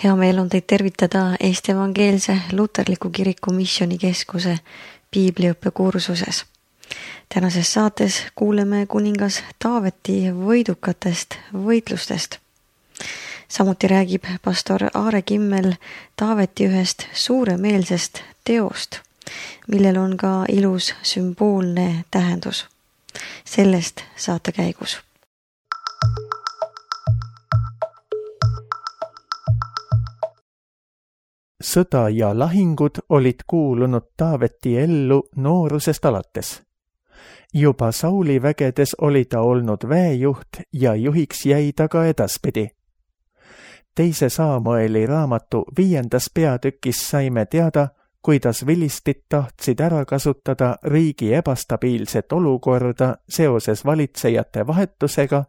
Hea meel on teid tervitada Eesti Evangeelse Luterliku Kiriku Missioonikeskuse piibliõppekursuses. Tänases saates kuuleme kuningas Taaveti võidukatest võitlustest. Samuti räägib pastor Aare Kimmel Taaveti ühest suuremeelsest teost, millel on ka ilus sümboolne tähendus. Sellest saate käigus. Sõda ja lahingud olid kuulunud Taaveti ellu noorusest alates. Juba Sauli vägedes oli ta olnud väejuht ja juhiks jäi ta ka edaspidi. Teise Saamueli raamatu 5. peatükis saime teada, kuidas vilistid tahtsid ära kasutada riigi ebastabiilset olukorda seoses valitsejate vahetusega,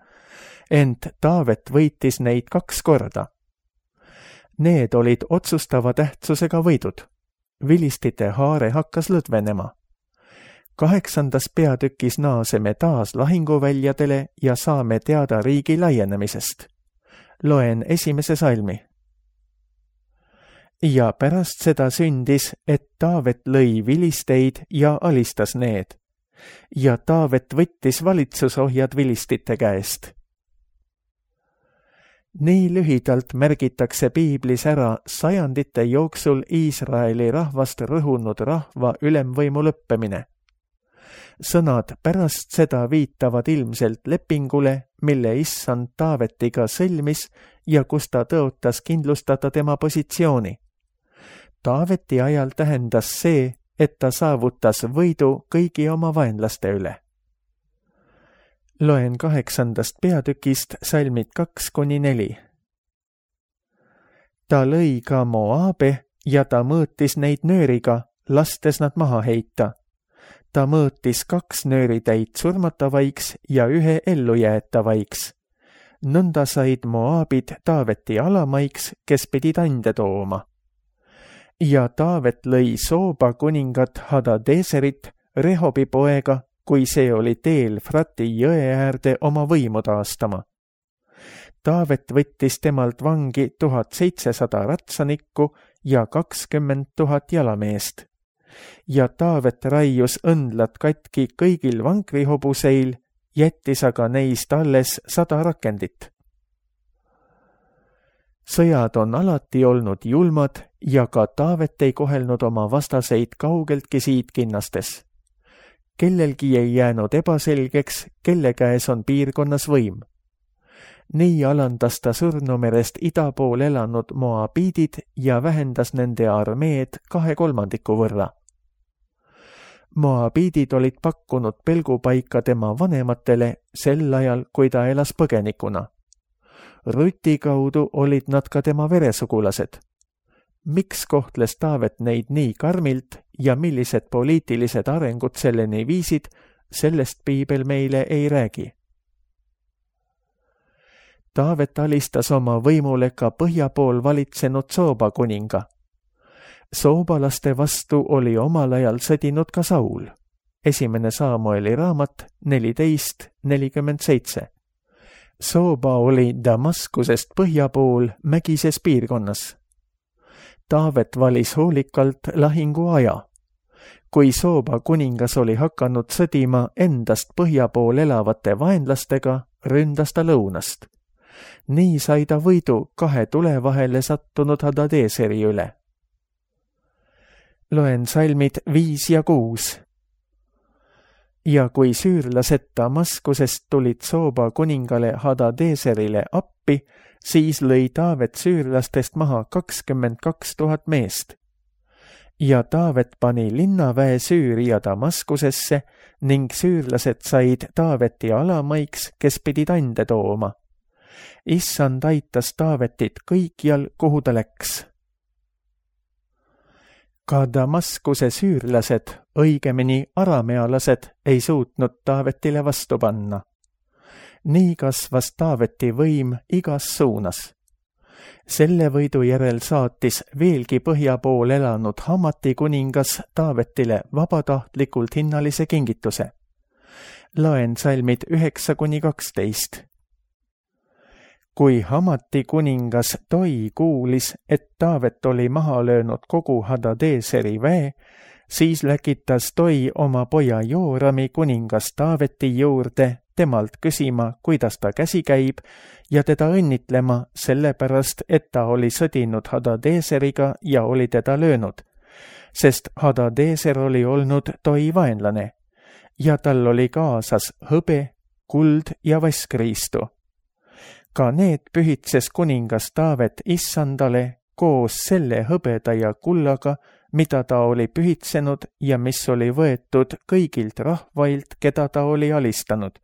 ent Taavet võitis neid 2 korda. Need olid otsustava tähtsusega võidud. Vilistite haare hakkas lõdvenema. 8. peatükis naaseme taas lahinguväljadele ja saame teada riigi laienemisest. Loen 1. salmi. Ja pärast seda sündis, et Taavet lõi vilisteid ja alistas need. Ja Taavet võttis valitsusohjad vilistite käest. Nii lühidalt märgitakse piiblis ära sajandite jooksul Iisraeli rahvast rõhunud rahva ülemvõimu lõppemine. Sõnad pärast seda viitavad ilmselt lepingule, mille issand Taavetiga sõlmis ja kus ta tõotas kindlustada tema positsiooni. Taaveti ajal tähendas see, et ta saavutas võidu kõigi oma vaenlaste üle. Loen 8. peatükist salmid 2-4. Ta lõi ka Moabe ja ta mõõtis neid nööriga, lastes nad maha heita. Ta mõõtis 2 nööritäit surmatavaiks ja 1 ellujäetavaiks. Nõnda said Moabid Taaveti alamaiks, kes pidid ande tooma. Ja Taavet lõi Sooba kuningat Hadadeserit, Rehobi poega, kui see oli teel Frati jõe äärde oma võimu taastama. Taavet võttis temalt vangi 1700 ratsanikku ja 20 000 jalameest. Ja Taavet raius õndlad katki kõigil vankrihobuseil, jättis aga neist alles 100 rakendit. Sõjad on alati olnud julmad ja ka Taavet ei kohelnud oma vastaseid kaugeltki siidkinnastes. Kellelgi ei jäänud ebaselgeks, kelle käes on piirkonnas võim. Nii alandas ta Surnumerest ida pool elanud moabiidid ja vähendas nende armeed 2/3 võrra. Moabiidid olid pakkunud pelgupaika tema vanematele sel ajal, kui ta elas põgenikuna. Ruti kaudu olid nad ka tema veresugulased. Miks kohtles Taavet neid nii karmilt ja millised poliitilised arengud selleni viisid, sellest piibel meile ei räägi. Taavet alistas oma võimule ka põhja pool valitsenud Sooba kuninga. Soobalaste vastu oli omal ajal sõdinud ka Saul. 1. Saamueli raamat 14:47. Sooba oli Damaskusest põhja pool mägises piirkonnas. Taavet valis hoolikalt lahingu aja. Kui Sooba kuningas oli hakanud sõdima endast põhja pool elavate vaenlastega, ründas ta lõunast. Nii sai ta võidu 2 tule vahele sattunud Hadadeseri üle. Loen salmid 5 ja 6. Ja kui süürlased Damaskusest tulid Sooba kuningale Hadadeserile appi, siis lõi Taavet süürlastest maha 22 000 meest. Ja Taavet pani linnaväe Süüria Damaskusesse ning süürlased said Taaveti alamaiks, kes pidid ande tooma. Issand aitas Taavetit kõikjal, kuhu ta läks. Ka Damaskuse süürlased, õigemini aramealased, ei suutnud Taavetile vastu panna. Nii kasvas Taaveti võim igas suunas. Selle võidu järel saatis veelgi põhja pool elanud Hamati kuningas Taavetile vabatahtlikult hinnalise kingituse. Loen salmid 9-12. Kui Hamati kuningas Toi kuulis, et Taavet oli maha löönud kogu Hadadeeseri väe, siis läkitas Toi oma poja Joorami kuningas Taaveti juurde temalt küsima, kuidas ta käsi käib, ja teda õnnitlema sellepärast, et ta oli sõdinud Hadadeeseriga ja oli teda löönud, sest Hadadeeser oli olnud Toi vaenlane ja tal oli kaasas hõbe, kuld ja vasskriistu. Ka need pühitses kuningas Taavet issandale koos selle hõbeda ja kullaga, mida ta oli pühitsenud ja mis oli võetud kõigilt rahvailt, keda ta oli alistanud.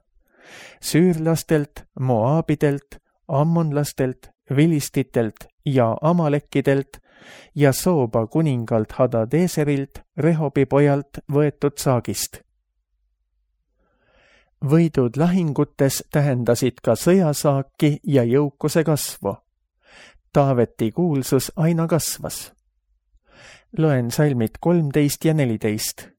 Süürlastelt, Moaabidelt, ammonlastelt, vilistitelt ja amalekkidelt ja Sooba kuningalt Hadadeeserilt, Rehobi pojalt võetud saagist. Võidud lahingutes tähendasid ka sõjasaaki ja jõukuse kasvu. Taaveti kuulsus aina kasvas. Loen salmid 13 ja 14.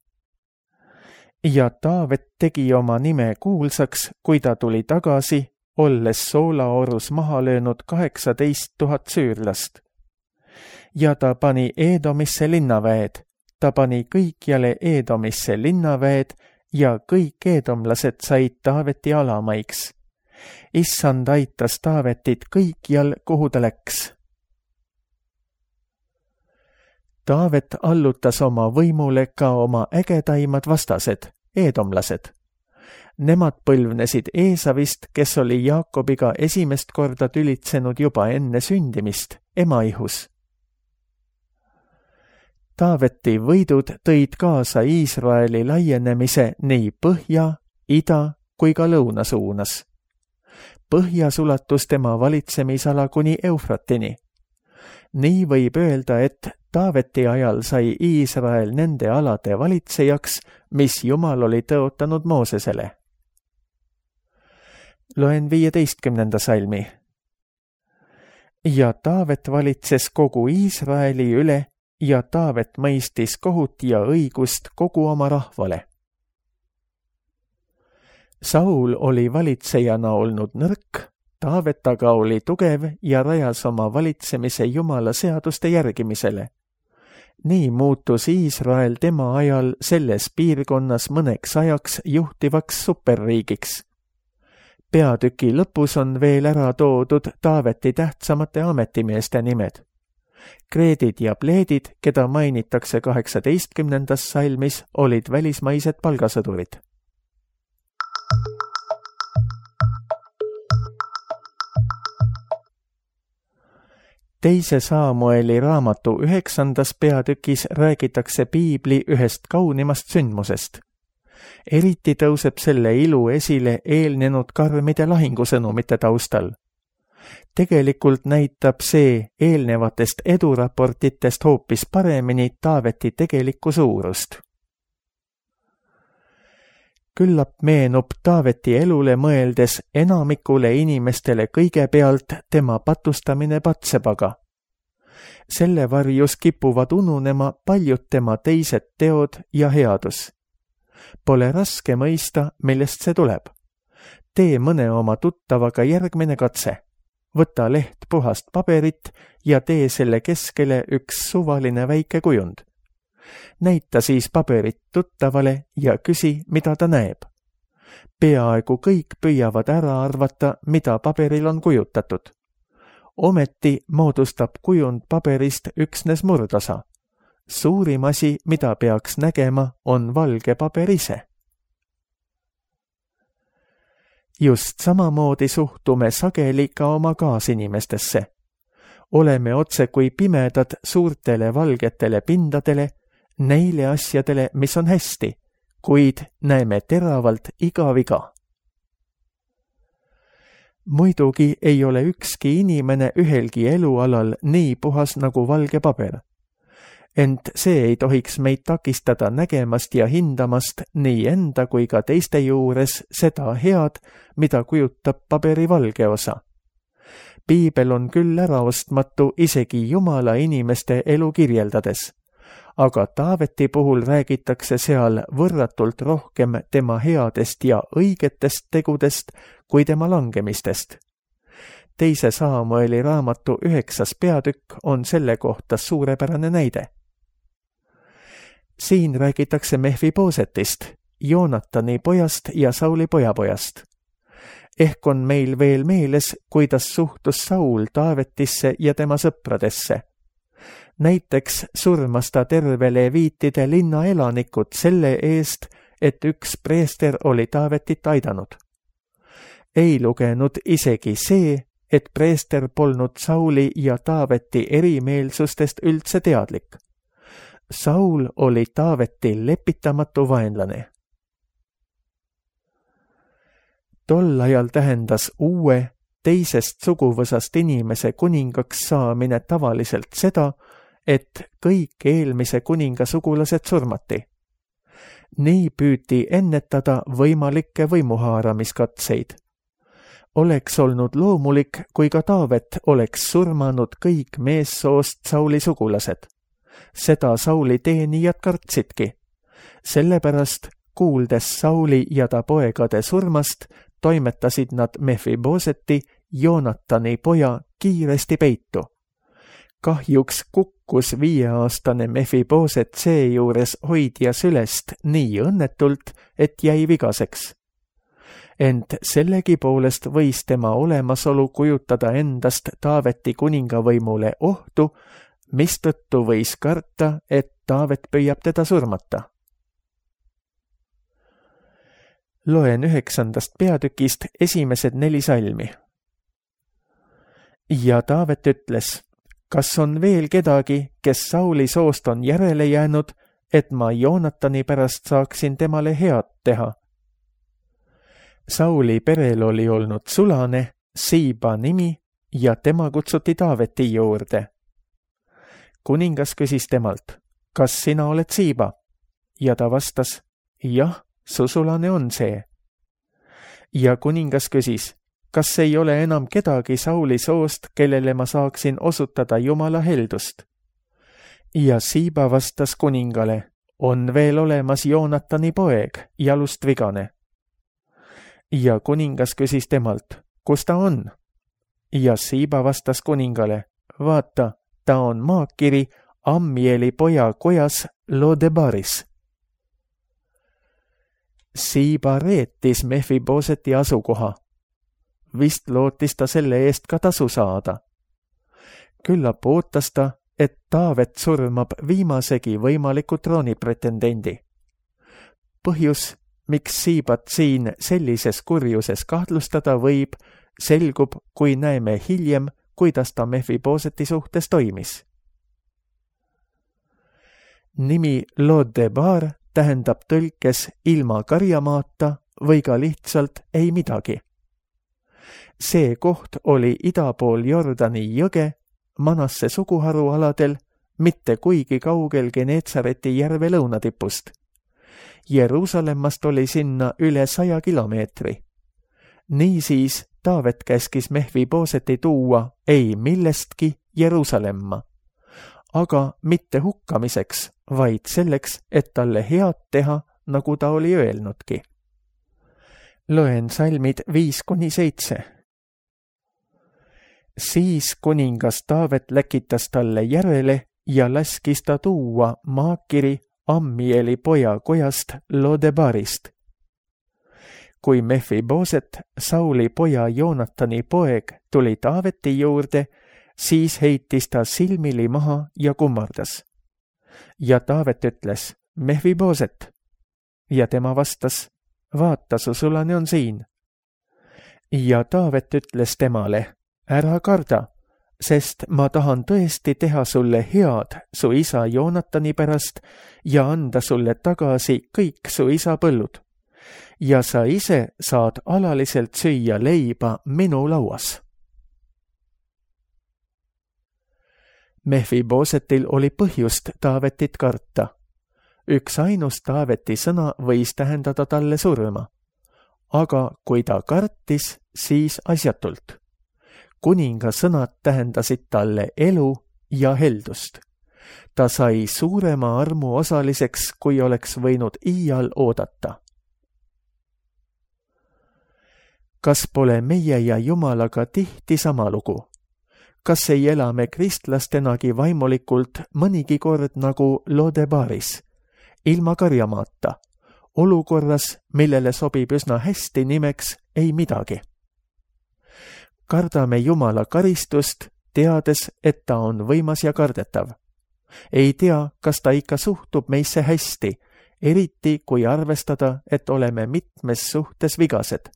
Ja Taavet tegi oma nime kuulsaks, kui ta tuli tagasi, olles Soolaorus maha löönud 18 000 süürlast. Ja ta pani Eedomisse linnaväed, ta pani kõikjale Eedomisse linnaväed ja kõik eedomlased said Taaveti alamaiks. Issand aitas Taavetit kõikjal, kuhu ta läks. Taavet allutas oma võimule ka oma ägedaimad vastased, eedomlased. Nemad põlvnesid Eesavist, kes oli Jaakobiga esimest korda tülitsenud juba enne sündimist, ema ihus. Taaveti võidud tõid kaasa Iisraeli laienemise nii põhja, ida kui ka lõuna suunas. Põhjas ulatus tema valitsemisala kuni Eufratini. Nii võib öelda, et Taaveti ajal sai Iisrael nende alade valitsejaks, mis Jumal oli tõotanud Moosesele. Loen 15. salmi. Ja Taavet valitses kogu Iisraeli üle ja Taavet mõistis kohut ja õigust kogu oma rahvale. Saul oli valitsejana olnud nõrk, Taavet aga oli tugev ja rajas oma valitsemise Jumala seaduste järgimisele. Nii muutus Iisrael tema ajal selles piirkonnas mõneks ajaks juhtivaks superriigiks. Peatüki lõpus on veel ära toodud Taaveti tähtsamate ametimeeste nimed. Kreedid ja pleedid, keda mainitakse 18. salmis, olid välismaised palgasõdurid. Teise Saamueli raamatu 9. peatükis räägitakse piibli ühest kaunimast sündmusest. Eriti tõuseb selle ilu esile eelnenud karmide lahingusõnumite taustal. Tegelikult näitab see eelnevatest eduraportitest hoopis paremini Taaveti tegelikku suurust. Küllap meenub Taaveti elule mõeldes enamikule inimestele kõigepealt tema patustamine Batsebaga. Selle varjus kipuvad ununema paljud tema teised teod ja headus. Pole raske mõista, millest see tuleb. Tee mõne oma tuttavaga järgmine katse. Võta leht puhast paberit ja tee selle keskele üks suvaline väike kujund. Näita siis paberit tuttavale ja küsi, mida ta näeb. Peaaegu kõik püüavad ära arvata, mida paberil on kujutatud. Ometi moodustab kujund paberist üksnes murdosa. Suurim asi, mida peaks nägema, on valge paber ise. Just samamoodi suhtume sageli ka oma kaasinimestesse. Oleme otse kui pimedad suurtele valgetele pindadele, neile asjadele, mis on hästi, kuid näeme teravalt iga viga. Muidugi ei ole ükski inimene ühelgi elualal nii puhas nagu valge paber. Ent see ei tohiks meid takistada nägemast ja hindamast nii enda kui ka teiste juures seda head, mida kujutab paberi valge osa. Piibel on küll äraostmatu isegi Jumala inimeste elu kirjeldades, aga Taaveti puhul räägitakse seal võrratult rohkem tema headest ja õigetest tegudest kui tema langemistest. teise Saamueli raamatu 9. peatükk on selle kohta suurepärane näide. Siin räägitakse Mephibosetist, Joonatani pojast ja Sauli pojapojast. Ehk on meil veel meeles, kuidas suhtus Saul Taavetisse ja tema sõpradesse. Näiteks surmas ta terve leviitide linna elanikud selle eest, et üks preester oli Taavetit aidanud. Ei lugenud isegi see, et preester polnud Sauli ja Taaveti erimeelsustest üldse teadlik. Saul oli Taaveti lepitamatu vaenlane. Tol ajal tähendas uue, teisest suguvõsast inimese kuningaks saamine tavaliselt seda, et kõik eelmise kuninga sugulased surmati. Nii püüti ennetada võimalikke võimuhaaramiskatseid. Oleks olnud loomulik, kui ka Taavet oleks surmanud kõik meessoost Sauli sugulased. Seda Sauli teenijad kartsidki. Sellepärast, kuuldes Sauli ja ta poegade surmast, toimetasid nad Mephiboseti, Joonatani poja, kiiresti peitu. Kahjuks kukkus 5-aastane Mephiboset seejuures hoidja sülest nii õnnetult, et jäi vigaseks. Ent sellegi poolest võis tema olemasolu kujutada endast Taaveti kuningavõimule ohtu, mistõttu võis karta, et Taavet püüab teda surmata. Loen 9. peatükist esimesed 4 salmi. Ja Taavet ütles, kas on veel kedagi, kes Sauli soost on järele jäänud, et ma Joonatani pärast saaksin temale head teha? Sauli perel oli olnud sulane, Siiba nimi, ja tema kutsuti Taaveti juurde. Kuningas küsis temalt, kas sina oled Siiba? Ja ta vastas, jah, su sulane on see. Ja kuningas küsis, kas ei ole enam kedagi Sauli soost, kellele ma saaksin osutada Jumala heldust? Ja Siiba vastas kuningale, on veel olemas Joonatani poeg, jalust vigane. Ja kuningas küsis temalt, kus ta on? Ja Siiba vastas kuningale, vaata, ta on maakiri Ammieli poja kojas Lodebaris. Siiba reetis Mephiboseti asukoha. Vist lootis ta selle eest ka tasu saada. Küllap ootas ta, et Taavet surmab viimasegi võimaliku troonipretendendi. Põhjus, miks Siibat siin sellises kurjuses kahtlustada võib, selgub, kui näeme hiljem, kuidas ta Mephiboseti suhtes toimis. Nimi Lodebar tähendab tõlkes ilma karjamaata või ka lihtsalt ei midagi. See koht oli ida pool Jordani jõge, Manasse suguharu aladel, mitte kuigi kaugel Geneetsareti järve lõunatipust. Jeruusalemmast oli sinna üle 100 kilomeetri. Niisiis Taavet käskis Mephiboseti tuua ei millestki Jeruusalemma, aga mitte hukkamiseks, vaid selleks, et talle head teha, nagu ta oli öelnudki. Loen salmid 5-7. Siis kuningas Taavet läkitas talle järele ja laskis ta tuua maakiri Ammieli poja kojast Lodebarist. Kui Mephiboset, Sauli poja Joonatani poeg, tuli Taaveti juurde, siis heitis ta silmili maha ja kummardas. Ja Taavet ütles, Mephiboset. Ja tema vastas, vaata, su sulane on siin. Ja Taavet ütles temale, ära karda, sest ma tahan tõesti teha sulle head su isa Joonatani pärast ja anda sulle tagasi kõik su isa põllud. Ja sa ise saad alaliselt süüa leiba minu lauas. Mephibosetil oli põhjust Taavetit karta. Üks ainus Taaveti sõna võis tähendada talle surma. Aga kui ta kartis, siis asjatult. Kuninga sõnad tähendasid talle elu ja heldust. Ta sai suurema armu osaliseks, kui oleks võinud iial oodata. kas pole meie ja Jumalaga tihti sama lugu? Kas ei ela me kristlastenagi vaimulikult mõnigi kord nagu Lodebaaris, ilma karjamaata, olukorras, millele sobib üsna hästi nimeks ei midagi? Kardame Jumala karistust, teades, et ta on võimas ja kardetav. Ei tea, kas ta ikka suhtub meisse hästi, eriti kui arvestada, et oleme mitmes suhtes vigased.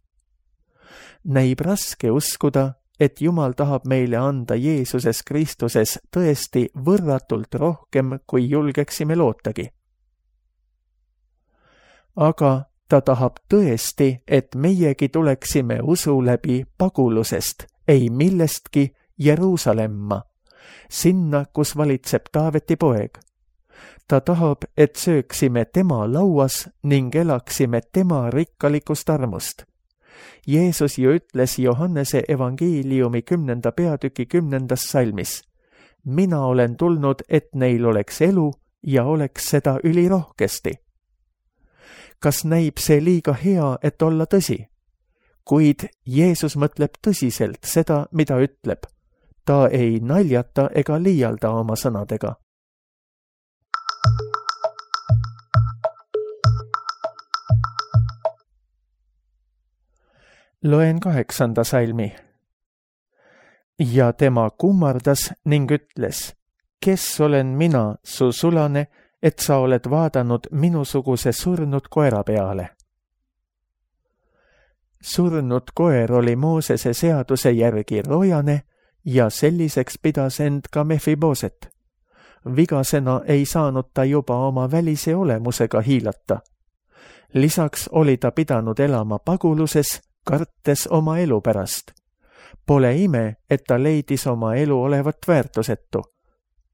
Näib raske uskuda, et Jumal tahab meile anda Jeesuses Kristuses tõesti võrratult rohkem, kui julgeksime lootagi. Aga ta tahab tõesti, et meiegi tuleksime usu läbi pagulusest, ei millestki Jeruusalemma, sinna, kus valitseb Taaveti poeg. Ta tahab, et sööksime tema lauas ning elaksime tema rikkalikust armust. Jeesus ju ütles Johannese evangeeliumi 10. peatüki 10. salmis: mina olen tulnud, et neil oleks elu ja oleks seda ülirohkesti. Kas näib see liiga hea, et olla tõsi? Kuid Jeesus mõtleb tõsiselt seda, mida ütleb. Ta ei naljata ega liialda oma sõnadega. Loen 8. salmi. Ja tema kummardas ning ütles: kes olen mina, su sulane, et sa oled vaadanud minusuguse surnud koera peale? Surnud koer oli Moosese seaduse järgi rojane ja selliseks pidas end ka Mefibooset. Vigasena ei saanud ta juba oma välise olemusega hiilata. Lisaks oli ta pidanud elama paguluses, kartes oma elu pärast. Pole ime, et ta leidis oma elu olevat väärtusetu.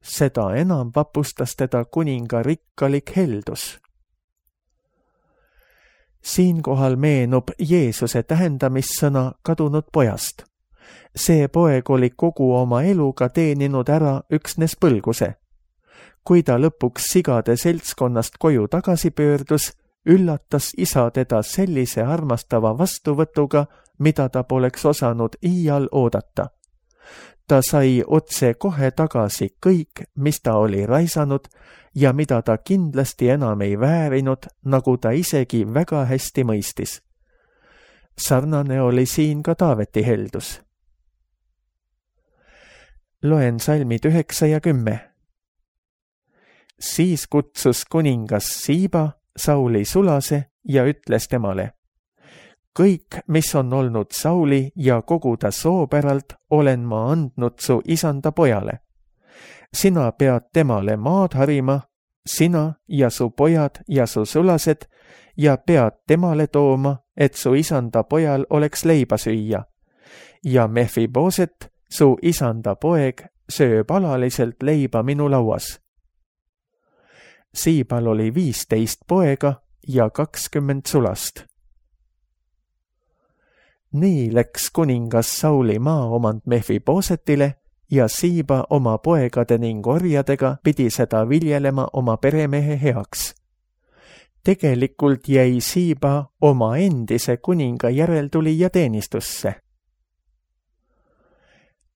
Seda enam vapustas teda kuninga rikkalik heldus. Siinkohal meenub Jeesuse tähendamissõna kadunud pojast. See poeg oli kogu oma eluga teeninud ära üksnes põlguse. Kui ta lõpuks sigade seltskonnast koju tagasi pöördus, üllatas isa teda sellise armastava vastuvõtuga, mida ta poleks osanud iial oodata. Ta sai otse kohe tagasi kõik, mis ta oli raisanud ja mida ta kindlasti enam ei väärinud, nagu ta isegi väga hästi mõistis. Sarnane oli siin ka Taaveti heldus. Loen salmid 9 ja 10. Siis kutsus kuningas Siiba Sauli sulase ja ütles temale: kõik, mis on olnud Sauli ja kogu ta soopäralt, olen ma andnud su isanda pojale. Sina pead temale maad harima, sina ja su pojad ja su sulased, ja pead temale tooma, et su isanda pojal oleks leiba süüa. Ja Mefibooset, su isanda poeg, sööb alaliselt leiba minu lauas. Siibal oli 15 poega ja 20 sulast. Nii läks kuningas Sauli maaomand Mefiboosetile ja Siiba oma poegade ning orjadega pidi seda viljelema oma peremehe heaks. Tegelikult jäi Siiba oma endise kuninga järeltulija teenistusse.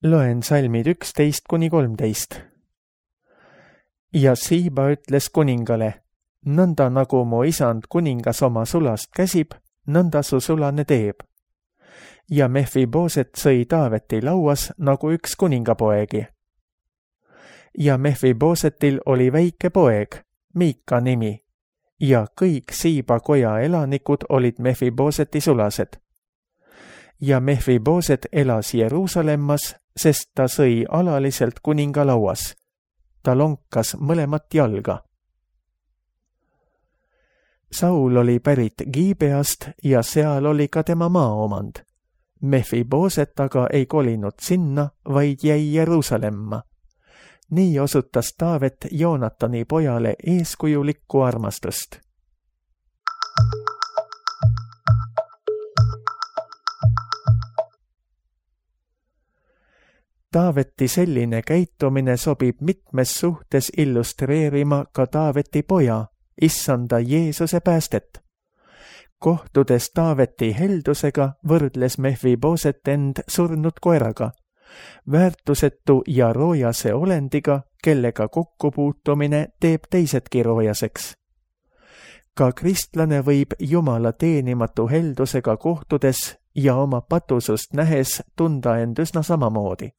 Loen salmid 11-13. Ja Siiba ütles kuningale: nõnda nagu mu isand kuningas oma sulast käsib, nõnda su sulane teeb. Ja Mefibooset sõi Taaveti lauas nagu üks kuningapoegi. Ja Mefiboosetil oli väike poeg, Miika nimi, ja kõik Siiba koja elanikud olid Mefibooseti sulased. Ja Mefibooset elas Jeruusalemmas, sest ta sõi alaliselt kuninga lauas. Ta lonkas mõlemat jalga. Saul oli pärit Giibeast ja seal oli ka tema maaomand. Mefibooset aga ei kolinud sinna, vaid jäi Jeruusalemma. Nii osutas Taavet Joonatani pojale eeskujulikku armastust. Taaveti selline käitumine sobib mitmes suhtes illustreerima ka Taaveti poja, issanda Jeesuse päästet. Kohtudes Taaveti heldusega võrdles Mephiboset end surnud koeraga, väärtusetu ja roojase olendiga, kellega kokkupuutumine teeb teisedki roojaseks. Ka kristlane võib Jumala teenimatu heldusega kohtudes ja oma patusust nähes tunda end üsna samamoodi.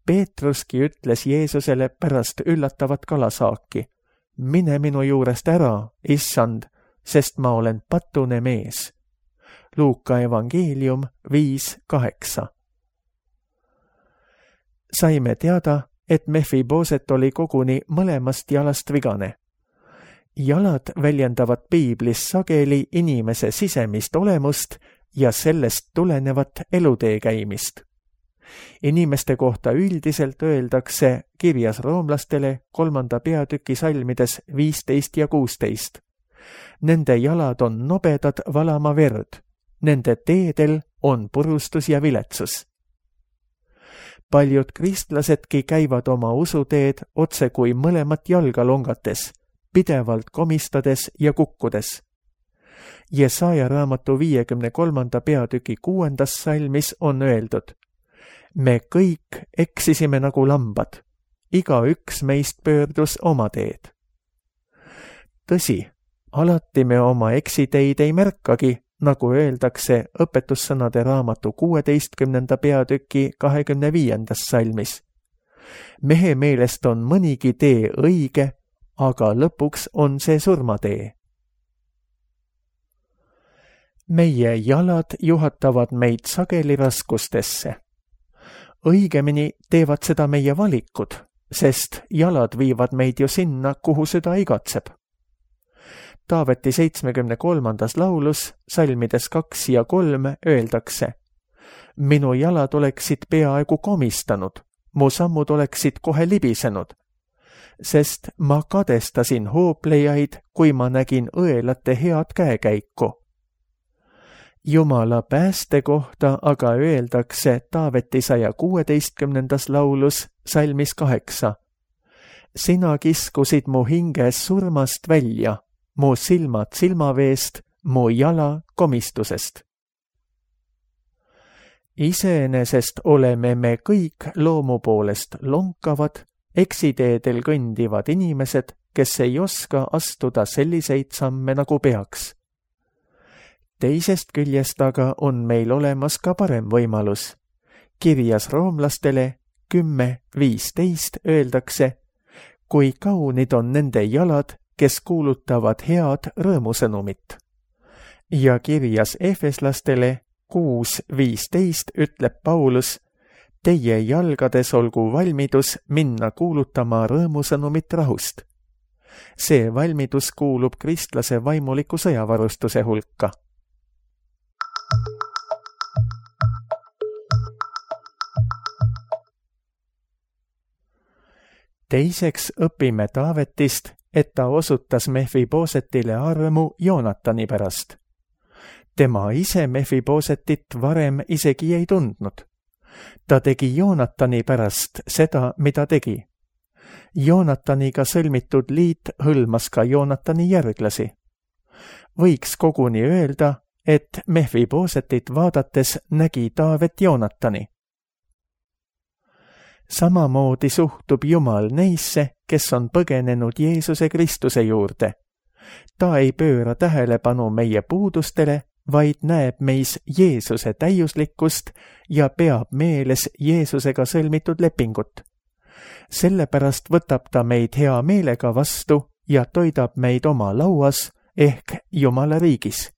Peetruski ütles Jeesusele pärast üllatavat kalasaaki: mine minu juurest ära, issand, sest ma olen patune mees. Luuka evangeelium 5:8. Saime teada, et Mephiboset oli koguni mõlemast jalast vigane. Jalad väljendavad piiblis sageli inimese sisemist olemust ja sellest tulenevat elutee käimist. Inimeste kohta üldiselt öeldakse kirjas roomlastele 3. peatüki salmides 15 ja 16. Nende jalad on nobedad valama verd, nende teedel on purustus ja viletsus. Paljud kristlasedki käivad oma usuteed otse kui mõlemat jalga longates, pidevalt komistades ja kukkudes. Jesaja raamatu 53. peatüki 6. salmis on öeldud: me kõik eksisime nagu lambad, igaüks meist pöördus oma teed. Tõsi, alati me oma eksiteid ei märkagi, nagu öeldakse õpetussõnade raamatu 16. peatüki 25. salmis. Mehe meelest on mõnigi tee õige, aga lõpuks on see surmatee. Meie jalad juhatavad meid sageli raskustesse. Õigemini teevad seda meie valikud, sest jalad viivad meid ju sinna, kuhu süda igatseb. Taaveti 73. laulus, salmides 2 ja 3 öeldakse: minu jalad oleksid peaaegu komistanud, mu sammud oleksid kohe libisenud, sest ma kadestasin hooplejaid, kui ma nägin õelate head käekäiku. Jumala pääste kohta aga öeldakse Taaveti 116. laulus, salmis 8: sina kiskusid mu hinges surmast välja, mu silmad silmaveest, mu jala komistusest. Iseenesest oleme me kõik loomu poolest lonkavad, eksiteedel kõndivad inimesed, kes ei oska astuda selliseid samme nagu peaks. Teisest küljest aga on meil olemas ka parem võimalus. Kirjas roomlastele 10:15 öeldakse: kui kaunid on nende jalad, kes kuulutavad head rõõmusõnumit. Ja kirjas efeslastele 6:15 ütleb Paulus: teie jalgades olgu valmidus minna kuulutama rõõmusõnumit rahust. See valmidus kuulub kristlase vaimuliku sõjavarustuse hulka. Teiseks õpime Taavetist, et ta osutas Mephibosetile armu Joonatani pärast. Tema ise Mephibosetit varem isegi ei tundnud. Ta tegi Joonatani pärast seda, mida tegi. Joonataniga sõlmitud liit hõlmas ka Joonatani järglasi. Võiks koguni öelda, et Mephibosetit vaadates nägi Taavet Joonatani. Samamoodi suhtub Jumal neisse, kes on põgenenud Jeesuse Kristuse juurde. Ta ei pööra tähelepanu meie puudustele, vaid näeb meis Jeesuse täiuslikkust ja peab meeles Jeesusega sõlmitud lepingut. Sellepärast võtab ta meid hea meelega vastu ja toidab meid oma lauas ehk Jumala riigis.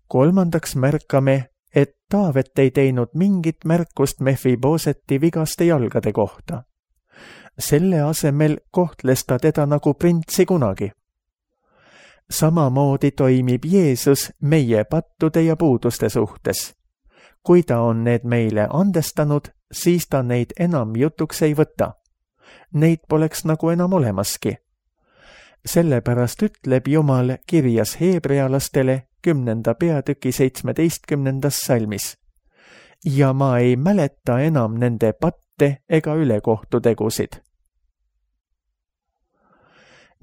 Kolmandaks märkame, et Taavet ei teinud mingit märkust Mephiboseti vigaste jalgade kohta. Selle asemel kohtles ta teda nagu printsi kunagi. Samamoodi toimib Jeesus meie pattude ja puuduste suhtes. Kui ta on need meile andestanud, siis ta neid enam jutuks ei võta. Neid poleks nagu enam olemaski. Sellepärast ütleb Jumal kirjas heebrealastele 10. peatüki 17. salmis. Ja ma ei mäleta enam nende patte ega ülekohtutegusid.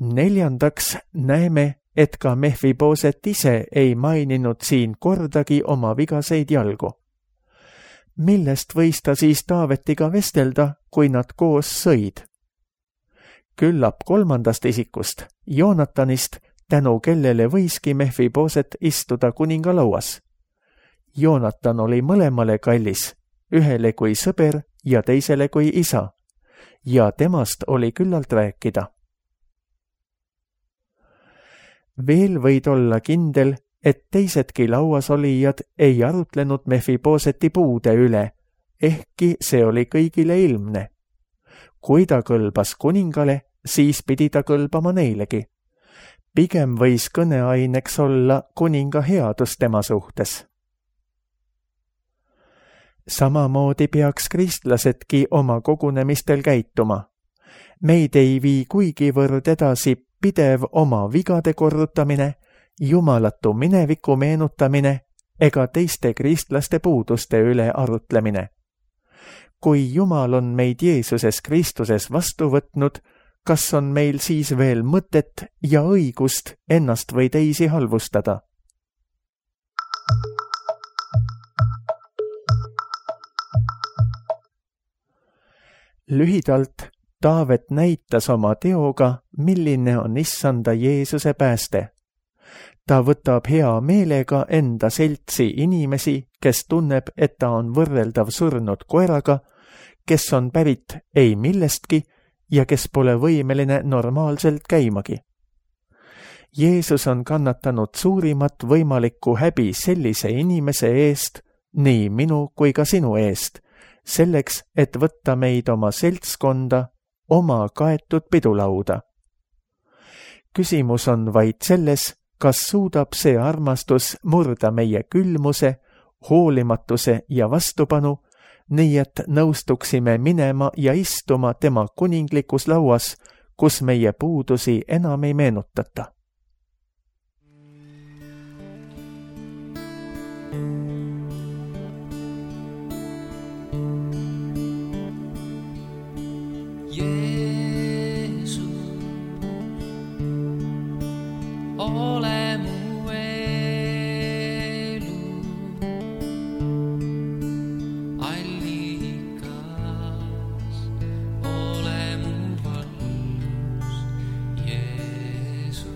Neljandaks näeme, et ka Mephiboset ise ei maininud siin kordagi oma vigaseid jalgu. Millest võis ta siis Taavetiga vestelda, kui nad koos sõid? Küllap 3. isikust, Joonatanist, tänu kellele võiski Mephiboset istuda kuningalauas. Joonatan oli mõlemale kallis, ühele kui sõber ja teisele kui isa, ja temast oli küllalt rääkida. Veel võid olla kindel, et teisedki lauasolijad ei arutlenud Mephiboseti puude üle, ehkki see oli kõigile ilmne. Kui ta kõlbas kuningale, siis pidi ta kõlbama neilegi. Pigem võis kõneaineks olla kuninga headus tema suhtes. Samamoodi peaks kristlasedki oma kogunemistel käituma. Meid ei vii kuigivõrd edasi pidev oma vigade korrutamine, jumalatu mineviku meenutamine ega teiste kristlaste puuduste üle arutlemine. Kui Jumal on meid Jeesuses Kristuses vastu võtnud, kas on meil siis veel mõtet ja õigust ennast või teisi halvustada? Lühidalt, Taavet näitas oma teoga, milline on issanda Jeesuse pääste. Ta võtab hea meelega enda seltsi inimesi, kes tunneb, et ta on võrreldav surnud koeraga, kes on pärit ei millestki ja kes pole võimeline normaalselt käimagi. Jeesus on kannatanud suurimat võimalikku häbi sellise inimese eest, nii minu kui ka sinu eest, selleks, et võtta meid oma seltskonda, oma kaetud pidulauda. Küsimus on vaid selles, kas suudab see armastus murda meie külmuse, hoolimatuse ja vastupanu, nii et nõustuksime minema ja istuma tema kuninglikus lauas, kus meie puudusi enam ei meenutata. Ole mu elu allikas, ole mu valgus, Jeesus.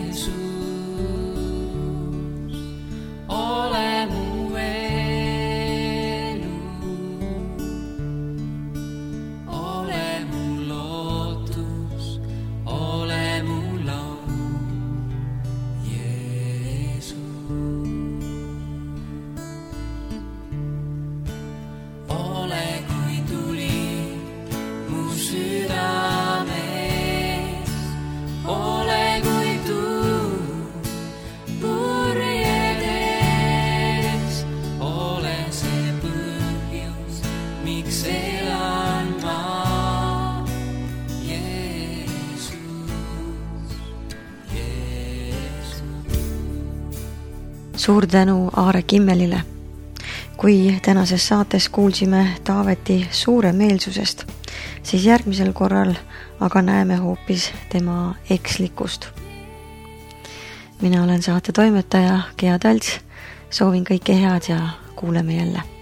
Jeesus, ole mu elu. Suur tänu Aare Kimmelile. Kui tänases saates kuulsime Taaveti suuremeelsusest, siis järgmisel korral aga näeme hoopis tema ekslikkust. Mina olen saate toimetaja Gea Talts, soovin kõike head ja kuuleme jälle.